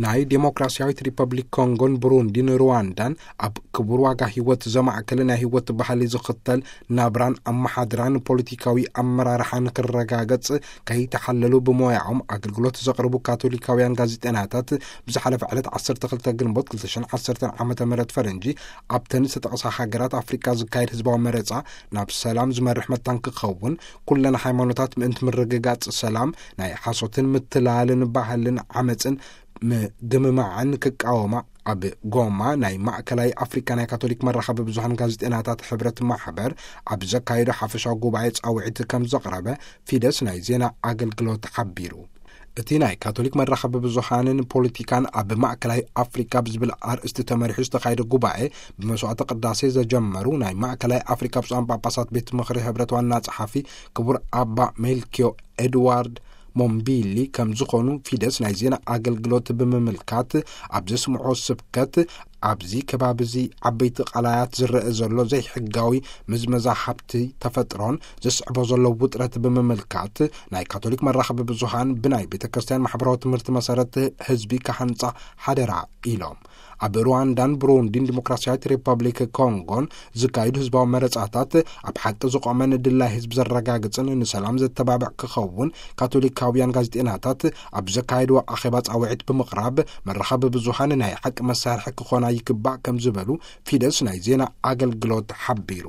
ናይ ዴሞክራሲያዊት ሪፐብሊክ ኮንጎን ብሩንዲን ሩዋንዳን ኣብ ክቡር ዋጋ ህይወት ዘማእከለ ናይ ህይወት ባህሊ ዝኽተል ናብራን ኣመሓድራን ፖለቲካዊ ኣመራርሓ ንክረጋገጽ ከይተሓለሉ ብሞያኦም ኣገልግሎት ዘቕርቡ ካቶሊካውያን ጋዜጠናታት ብዝሓለፈ ዕለት ዓሰርተ ክልተ ግንቦት ክልተ ሽሕን ዓሰርተን ዓመተ ምህረት ፈረንጂ ኣብተን ዝተጠቕሳ ሃገራት ኣፍሪቃ ዝካየድ ህዝባዊ መረጻ ናብ ሰላም ዝመርሕ መታን ክኸውን፣ ኩለን ሃይማኖታት ምእንቲ ምርግጋጽ ሰላም ናይ ሓሶትን ምትላልን ባህልን ዓመጽን ምግምማዕን ክቃወማ ኣብ ጎማ ናይ ማእከላይ ኣፍሪካ ናይ ካቶሊክ መራኸቢ ብዙሃን ጋዜጠናታት ሕብረት ማሕበር ኣብ ዘካየዶ ሓፈሻዊ ጉባኤ ጻውዒት ከም ዘቕረበ ፊደስ ናይ ዜና ኣገልግሎት ሓቢሩ። እቲ ናይ ካቶሊክ መራኸቢ ብዙሃንን ፖለቲካን ኣብ ማእከላይ ኣፍሪካ ብዝብል ኣርእስቲ ተመሪሑ ዝተኻየደ ጉባኤ ብመስዋዕተ ቅዳሴ ዘጀመሩ ናይ ማእከላይ ኣፍሪካ ብፁዓን ጳጳሳት ቤት ምኽሪ ሕብረት ዋና ጸሓፊ ክቡር ኣባ ሜልኪዮ ኤድዋርድ ሞምቢሊ ከም ዝኾኑ ፊደስ ናይ ዜና ኣገልግሎት ብምምልካት ኣብ ዘስምዖ ስብከት፣ ኣብዚ ከባቢ እዚ ዓበይቲ ቃላያት ዝረአ ዘሎ ዘይሕጋዊ ምዝመዛ ሃብቲ ተፈጥሮን ዘስዕቦ ዘሎ ውጥረት ብምምልካት፣ ናይ ካቶሊክ መራኸቢ ብዙሃን ብናይ ቤተ ክርስቲያን ማሕበራዊ ትምህርቲ መሰረት ህዝቢ ክሃንጻ ሓደራ ኢሎም። ኣብ ሩዋንዳን ብሩንዲን ዲሞክራሲያዊት ሪፐብሊክ ኮንጎን ዝካየዱ ህዝባዊ መረጻታት ኣብ ሓቂ ዝቆመን ድላይ ህዝቢ ዘረጋግጽን ንሰላም ዘተባብዕ ክኸውን ካቶሊካውያን ጋዜጠናታት ኣብ ዘካየድዎ ኣኼባ ጻውዒት ብምቕራብ፣ መራኸቢ ብዙሃን ናይ ሓቂ መሳርሒ ክኾና ይግባእ ከም ዝበሉ ፊደስ ናይ ዜና ኣገልግሎት ሓቢሩ።